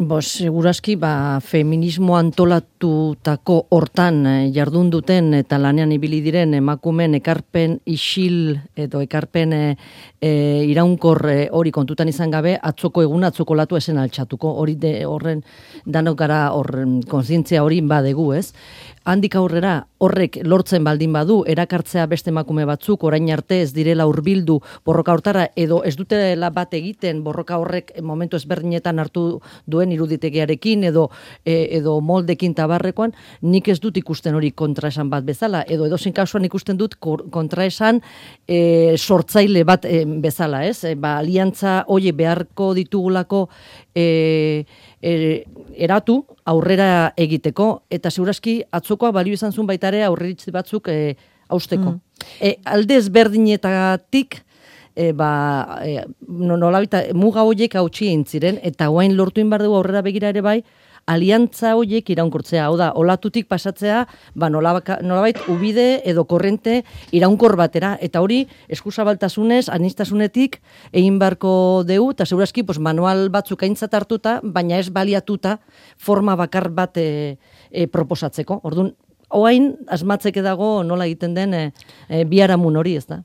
Segurazki, feminismo antolatutako hortan jardun duten eta lanean ibili diren emakumeen ekarpen isil edo ekarpen iraunkor hori kontutan izan gabe, atzoko eguna atzoko latu esen altxatuko. Horren danok gara kontzientzia hori badegu, ez? Handik aurrera horrek lortzen baldin badu, erakartzea beste emakume batzuk, orain arte ez direla hurbildu borroka hortara, edo ez dutela bat egiten borroka horrek momentu ezberdinetan hartu duen iruditegiarekin, edo moldekin tabarrekoan, nik ez dut ikusten hori kontraesan bat bezala, edo edozein kasuan ikusten dut kontraesan sortzaile bat bezala, ez? Aliantza hori beharko ditugulako eratu aurrera egiteko, eta segurazki atzokoa balio izan zuen baitare aurreritzi batzuk hausteko. Alde ezberdinetatik nolabait muga horiek hautsi egin ziren, eta guain lortu inbar dugu aurrera begira ere bai, aliantza horiek iraunkortzea, hau da, olatutik pasatzea, nolabait ubide edo korrente iraunkor batera, eta hori eskuzabaltasunez, anistasunetik egin barko deu, eta segurazki manual batzuk aintzat hartuta, baina ez baliatuta forma bakar bat proposatzeko. Orduan, oain asmatzeke dago nola egiten den biharamun hori, ez da?